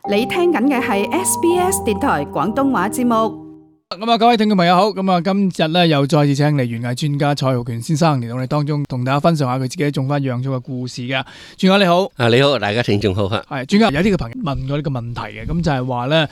你聽緊嘅係 SBS 電台廣東話節目。各位聽眾朋友好，今日咧又再次請嚟園藝專家蔡浩權先生嚟到我哋當中，同大家分享下佢自己種翻養草嘅故事嘅。專家你好，你好，大家聽眾好吓。係專家，有啲嘅朋友問過呢個問題嘅，咁就係話咧，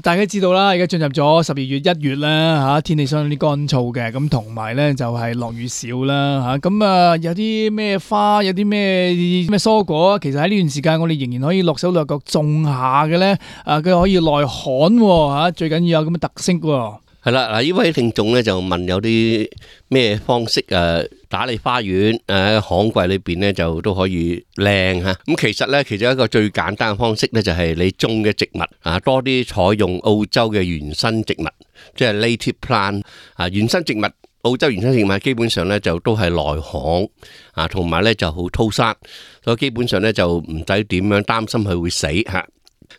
大家知道啦，而家進入咗12月1月啦，吓天氣相當之乾燥嘅，咁同埋咧就係落雨少啦，吓咁有啲咩花，有啲咩蔬果，其實喺呢段時間我哋仍然可以落手落腳種下嘅咧，佢可以耐旱吓，最緊要有咁嘅特色喎。係啦，嗱，呢位聽眾咧就問有啲咩方式打理花園旱季裏邊咧就都可以靚吓。咁其實咧，其中一個最簡單嘅方式咧就係你種嘅植物多啲採用澳洲嘅原生植物，即係 native plant 原生植物。澳洲原生植物基本上咧就都係耐旱同埋咧就好粗生，所以基本上咧就唔使點樣擔心佢會死吓。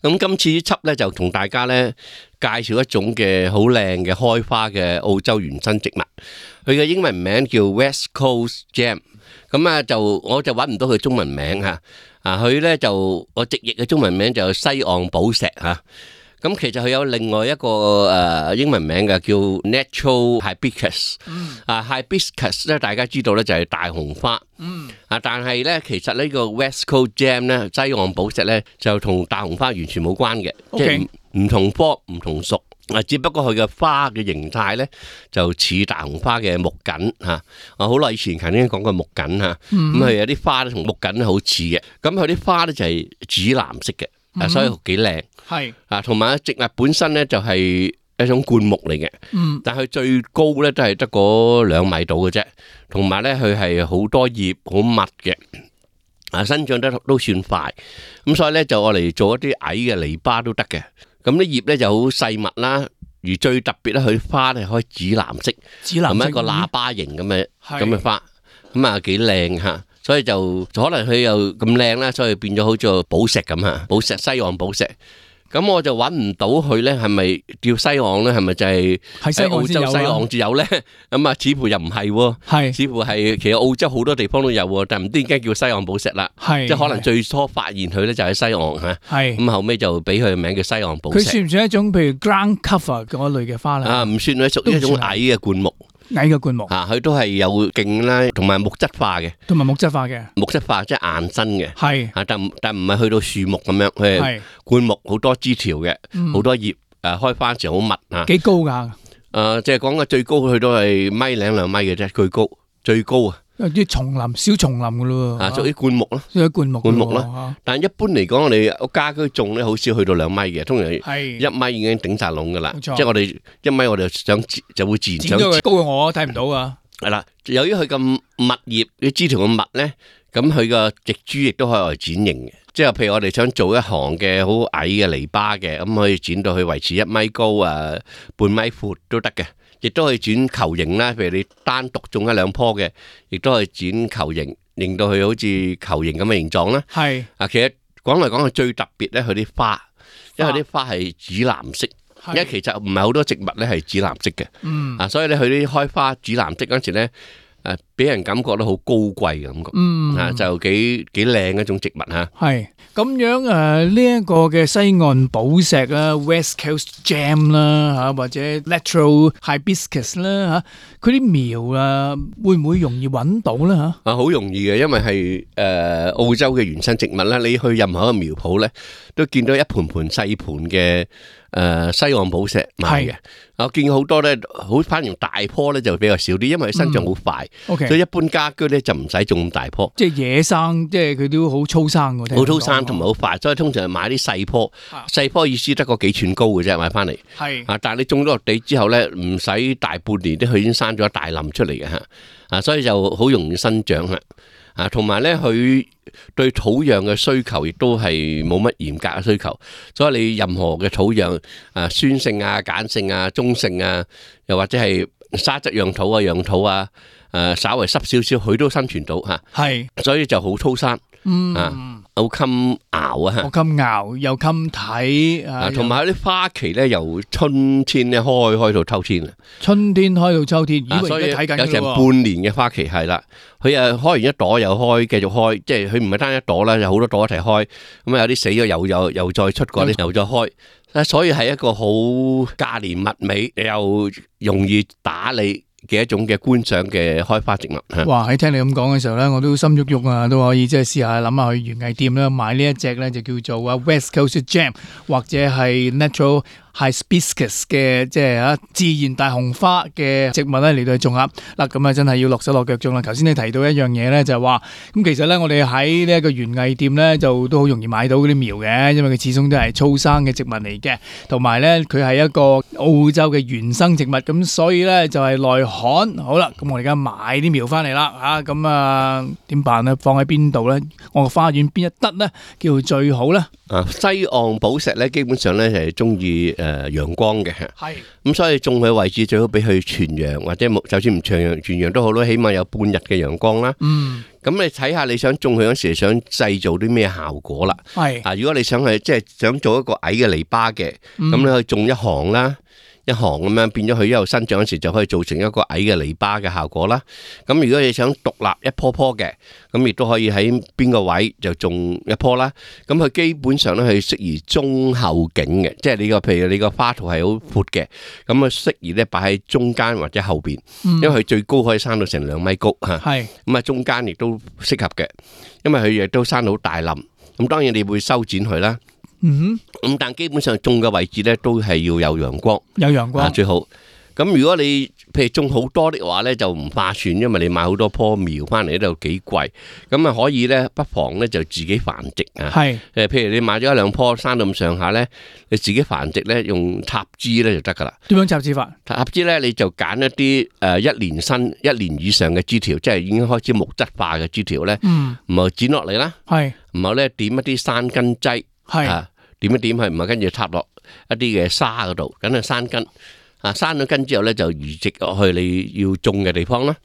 咁今次呢輯咧就同大家咧介紹一種嘅好靚嘅開花嘅澳洲原生植物，佢嘅英文名叫 West Coast Gem。咁我就揾唔到佢中文名吓，佢咧就我直譯嘅中文名就西岸寶石吓。咁其實佢有另外一個英文名嘅叫 Natural Hibiscus。Hibiscus 咧大家知道咧就係大紅花。但係咧其實呢個 West Coast Gem 咧西岸寶石咧就同大紅花完全冇關嘅，即係唔同科唔同屬。只不過佢嘅花嘅形態咧就似大紅花嘅木槿吓。我好耐以前曾經講過木槿吓，咁佢有啲花咧同木槿好似嘅。咁佢啲花咧就係紫藍色嘅。所以幾靚，係同埋植物本身咧就係一種灌木嚟嘅，但係佢最高咧都係得嗰2米度嘅啫，同埋咧佢係好多葉好密嘅，生長得都算快，咁所以咧就我嚟做一啲矮嘅籬笆都得嘅，咁啲葉咧就好細密啦，而最特別咧佢花咧可以紫藍色，同埋一個喇叭形咁嘅花，咁幾靚吓。所以就可能佢又咁靚啦，所以變咗好似寶石咁吓，寶石西岸寶石。咁我就揾唔到佢咧，係咪叫西岸咧？係咪就係喺澳洲西岸至有咧？咁似乎又唔係喎，似乎係其實澳洲好多地方都有喎，但係唔知點解叫西岸寶石啦。即係可能最初發現佢咧就喺西岸吓，咁後尾就俾佢嘅名叫西岸寶石。佢算唔算一種譬如 ground cover 嗰類嘅花咧？唔算，佢屬於一種矮嘅灌木。矮嘅灌木佢都係有莖啦，同埋木質化嘅，木質化即係硬身嘅，但唔係去到樹木咁樣，佢係灌木好多枝條嘅，好多葉，開花時好密幾高噶？即係講嘅最高佢都係1.5米2米嘅啫，最高啊！啲叢林小叢林噶咯，屬於灌木咯，灌木啦。但係一般嚟講，我哋家居種咧，好少去到2米嘅，通常1米已經頂晒籠噶啦。即係我哋1米，我哋就會自然想高過我睇唔到啊。係啦，由於佢咁密葉啲枝條咁密咧，咁佢個植株亦都可以嚟剪形嘅。即係譬如我哋想做一行嘅好矮嘅籬笆嘅，咁可以剪到去維持1米高半米闊都得嘅。亦都可以剪球形啦，譬如你單獨種1-2棵嘅，亦都可以剪球形，令到佢好似球形咁嘅形狀啦。其實講嚟講去最特別咧，佢啲花，因為啲花係紫藍色，因為其實唔係好多植物咧係紫藍色嘅。所以咧佢啲開花紫藍色嗰陣時咧，俾人感覺到好高貴嘅感覺。就幾靚一種植物吓。係咁樣呢一個嘅西岸寶石啦 ，West Coast Gem 啦吓，或者 Natural Hibiscus 啦吓，佢啲苗會唔會容易揾到咧吓？好容易嘅，因為係澳洲嘅原生植物啦，你去任何一個苗圃咧，都見到一盤盤細盤嘅西岸寶石賣嘅。我見好多咧，反而大棵咧就比較少啲，因為佢生長好快，所以一般家居咧就唔使種咁大棵。即係野生，即係佢都好粗生嘅。好粗生同埋好快，所以通常係買啲細棵。細棵意思得個幾寸高嘅啫，買翻嚟。但係你種咗落地之後咧，唔使大半年咧，佢已經生咗一大林出嚟嘅吓。所以就好容易生長啦。同埋咧，佢對土壤嘅需求亦都係冇乜嚴格嘅需求，所以你任何嘅土壤酸性鹼性中性又或者係沙質樣土壤土稍微濕少少，佢都生存到吓。所以就好粗生。好襟熬啊！我襟熬又襟睇同埋啲花期咧，由春天咧開到秋天啊！春天開到秋天，所以而家睇緊有成半年嘅花期係啦。佢開完一朵又開，繼續開，即係佢唔係單一朵啦，有好多朵一齊開。咁有啲死咗又再出過，又再開。所以係一個好價廉物美又容易打理嘅一種嘅觀賞嘅開花植物。哇！喺聽你咁講嘅時候咧，我都心喐喐啊，都可以即係試下諗下去園藝店啦，買呢一隻咧就叫做West Coast Gem 或者係 Natural Hibiscus 嘅即係自然大紅花嘅植物咧嚟到去種下嗱，咁啊真係要落手落腳種啦。頭先你提到一樣嘢咧，就係話咁其實咧我哋喺呢一個園藝店咧就都好容易買到嗰啲苗嘅，因為佢始終都係粗生嘅植物嚟嘅，同埋咧佢係一個澳洲嘅原生植物，咁所以咧就係耐旱。好啦，咁我哋而家買啲苗翻嚟啦嚇，咁啊點辦咧？放喺邊度咧？我個花園邊一得咧叫做最好咧？西岸寶石咧，基本上咧係中意陽光嘅，係咁所以種佢位置最好俾佢全陽，或者就算唔全陽都好啦，起碼有半日嘅陽光啦。咁你睇下你想種佢嗰時想製造啲咩效果啦？係如果你想去即係想做一個矮嘅籬笆嘅，咁你可以種一行啦。一行咁樣變咗佢一路生長嗰時就可以造成一個矮嘅籬笆嘅效果啦。咁如果你想獨立一棵棵嘅，咁亦都可以喺邊個位就種一棵啦。咁佢基本上咧係適宜中後景嘅，即係你個譬如你個花圖係好闊嘅，咁啊適宜咧擺喺中間或者後邊，因為佢最高可以生到成2米高嚇。係咁啊，中間亦都適合嘅，因為佢亦都生到好大冧。咁當然你會修剪佢啦。咁但基本上種嘅位置咧都係要有陽光，有陽光最好。咁如果你譬如種好多的話咧，就唔划算，因為你買好多棵苗翻嚟呢度幾貴。咁啊可以咧，不妨咧就自己繁殖啊。係譬如你買咗1-2棵生到咁上下咧，你自己繁殖咧，用插枝咧就得噶啦。點樣插枝法？插枝咧你就揀一啲1年以上嘅枝條，即係已經開始木質化嘅枝條咧，唔係剪落嚟啦。係唔係咧點一啲山根劑？係點一點係唔係跟住插落一啲嘅沙嗰度，梗係生根。生咗根之後咧，就移植落去你要種嘅地方啦。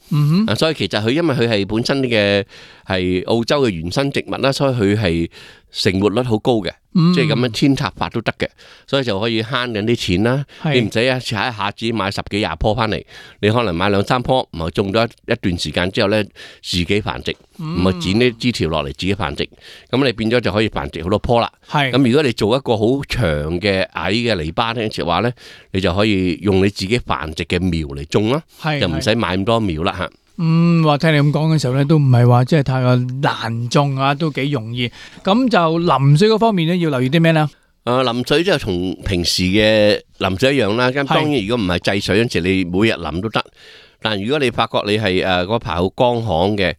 所以其實佢因為佢係本身嘅係澳洲嘅原生植物啦，所以佢係成活率好高嘅，即係咁樣扦插法都得嘅，所以就可以慳緊啲錢啦。你唔使一下子買10幾20棵翻嚟，你可能買2-3棵，唔係種咗一段時間之後咧，自己繁殖，唔係剪啲枝條落嚟自己繁殖，咁你變咗就可以繁殖好多棵啦。咁如果你做一個好長嘅矮嘅籬笆咧，嘅話咧，你就可以用你自己繁殖嘅苗嚟種啦，就唔使買咁多苗啦嚇。話聽你咁講嘅時候咧，都唔係話即係太過難種啊，都幾容易。咁就淋水嗰方面咧，要留意啲咩咧？淋水即係同平時嘅淋水一樣啦。咁當然如果唔係制水嗰陣時，你每日淋都得。但如果你發覺你係嗰排好乾旱嘅，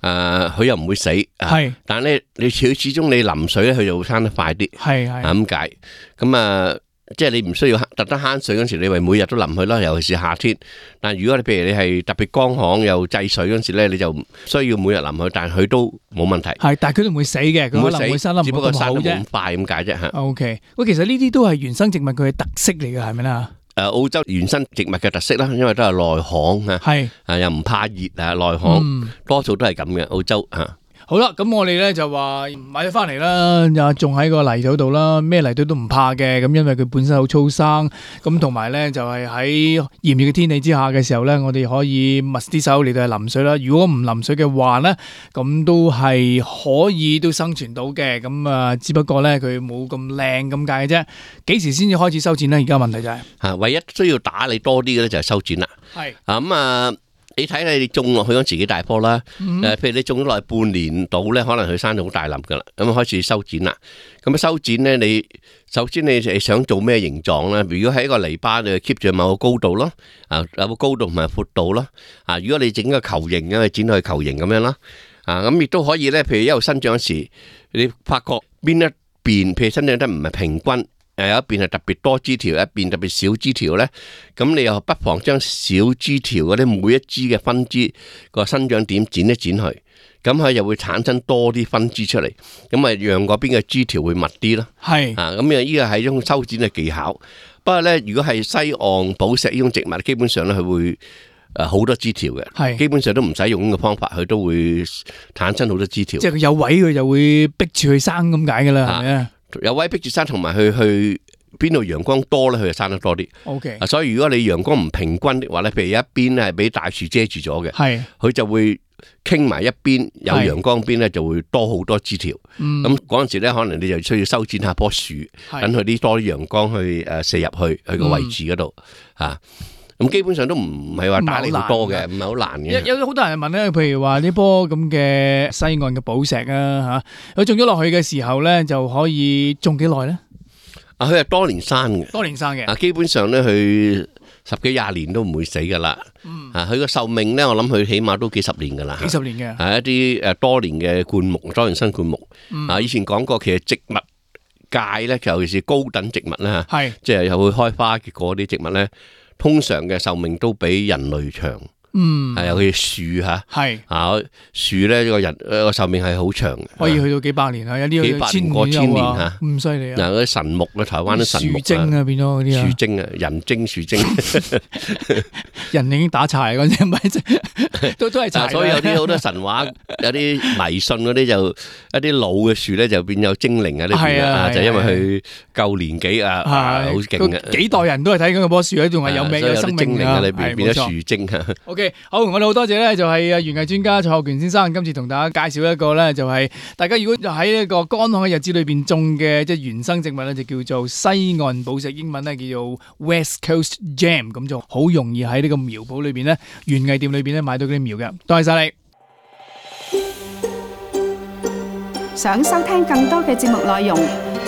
佢又唔會死。係，但係咧你始終你淋水咧，佢就會生得快啲。係咁解。咁即係你唔需要特登慳水嗰時，你咪每日都淋佢啦，尤其是夏天。但如果你譬如你係特別乾旱又制水嗰時咧，你就唔需要每日淋佢，但係佢都冇問題。係，但係佢都唔會死嘅，佢可能會生得唔好咁好啫。只不過生得冇咁快咁解啫嚇。OK，喂，其實呢啲都係原生植物佢嘅特色嚟嘅，係咪啦？澳洲原生植物嘅特色啦，因為都係耐旱啊，係又唔怕熱啊，耐旱多數都係咁嘅澳洲嚇。好啦，咁我哋咧就話買咗翻嚟啦，又種喺個泥土度啦，咩泥土都唔怕嘅，咁因為佢本身好粗生，咁同埋咧就係喺炎熱嘅天氣之下嘅時候咧，我哋可以密啲手嚟到係淋水啦。如果唔淋水嘅話咧，咁都係可以都生存到嘅，咁只不過咧佢冇咁靚咁解嘅啫。幾時先至開始修剪咧？而家問題就係唯一需要打理多啲嘅咧就係修剪啦。係咁你睇你種落去嗰時幾大棵啦，譬如你種咗落去半年到咧，可能佢生到好大粒噶啦，咁開始修剪啦。咁修剪咧，你首先你想做咩形狀咧？如果喺一個籬笆，你就 keep 住某個高度咯，有個高度同埋闊度咯。如果你整個球形嘅，剪到去球形咁樣啦。咁亦都可以咧，譬如一路生長嗰時，你發覺邊一邊譬如生長得唔係平均。有一邊係特別多枝條，一邊特別少枝條咧，咁你又不妨將小枝條嗰啲每一枝嘅分枝個生長點剪一剪去，咁佢又會產生多啲分支出嚟，咁咪讓嗰邊嘅枝條會密啲咯。係咁呢個係一種修剪嘅技巧。不過咧，如果係西岸寶石呢種植物，基本上咧佢會好多枝條嘅，基本上都唔使用呢個方法，佢都會產生好多枝條。即係佢有位佢就會逼住佢生咁解㗎啦，係咪啊？有位逼住生，同埋去邊度陽光多咧，佢就生得多啲。OK，所以如果你陽光唔平均的話咧，譬如一邊咧係俾大樹遮住咗嘅，佢就會傾埋一邊有陽光邊咧，就會多好多枝條。咁嗰陣時咧，可能你就需要修剪下棵樹，等佢啲多啲陽光去射入去佢個位置嗰度嚇。咁基本上都唔係話打理好多嘅，唔係好難嘅。有好多人問咧，譬如話呢棵咁嘅西岸嘅寶石啊嚇，佢種咗落去嘅時候咧，就可以種幾耐咧？佢係多年生嘅，多年生嘅。基本上咧，佢10幾20年都唔會死噶啦。佢個壽命咧，我諗佢起碼都幾十年噶啦。幾十年嘅。係一啲多年嘅灌木，多年生灌木。以前講過，其實植物界咧，尤其是高等植物咧，即係又會開花結果啲植物咧，通常嘅壽命都比人類長。尤其樹嚇，樹咧個人個壽命係好長嘅，可以去到幾百年啊！有啲過千年嚇，咁犀利啊！嗱，嗰啲神木咧，台灣啲神木樹精啊，變咗嗰啲啊，樹精啊，人精樹精，人已經打柴嗰啲，唔係都係柴。所以有啲好多神話，有啲迷信嗰啲就一啲老嘅樹咧就變有精靈啊呢邊啊，就因為佢夠年紀啊，好勁啊！幾代人都係睇緊嗰棵樹咧，仲係有命有生命啊！裏邊變咗樹精啊！ OK， 好，我哋好多謝咧，就係園藝專家蔡浩權先生，今次同大家介紹一個咧，就係大家如果喺呢個乾旱嘅日子裏邊種嘅即係原生植物咧，就叫做西岸寶石，英文咧叫做 West Coast Gem， 咁就好容易喺呢個苗圃裏邊咧，園藝店裏邊咧買到嗰啲苗嘅。多謝晒你。想收聽更多嘅節目內容，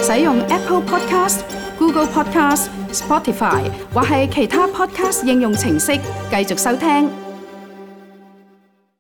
使用 Apple Podcast、Google Podcast、Spotify 或係其他 Podcast 應用程式繼續收聽。